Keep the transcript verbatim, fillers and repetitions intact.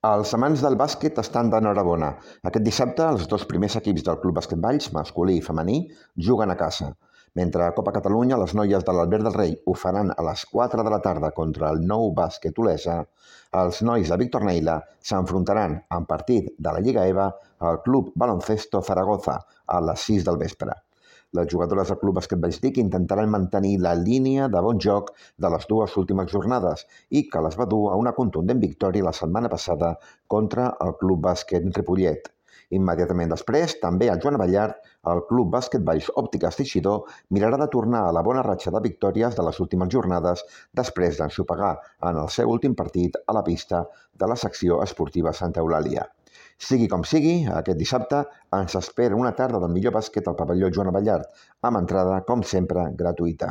Els amants del bàsquet estan d'enhorabona. Aquest dissabte, els dos primers equips del Club Bàsquet Valls, masculí i femení, juguen a casa. Mentre a Copa Catalunya, les noies de l'Albert del Rei ho faran a les quatre de la tarda contra el Nou Bàsquet Olesa, els nois de Víctor Neila s'enfrontaran en partit de la Lliga EVA al Club Baloncesto Zaragoza a les sis del vespre. Les jugadores del Club Bàsquet Valls Vic intentaran mantenir la línia de bon joc de les dues últimes jornades i que les va dur a una contundent victòria la setmana passada contra el Club Bàsquet Ripollet. Immediatament després, també el Joan Ballart, el Club Bàsquet Valls Òptiques Teixidor, mirarà de tornar a la bona ratxa de victòries de les últimes jornades després d'ensopegar en el seu últim partit a la pista de la secció esportiva Santa Eulàlia. Sigui com sigui, aquest dissabte ens espera una tarda del millor bàsquet al pavelló Joan Ballart, amb entrada, com sempre, gratuïta.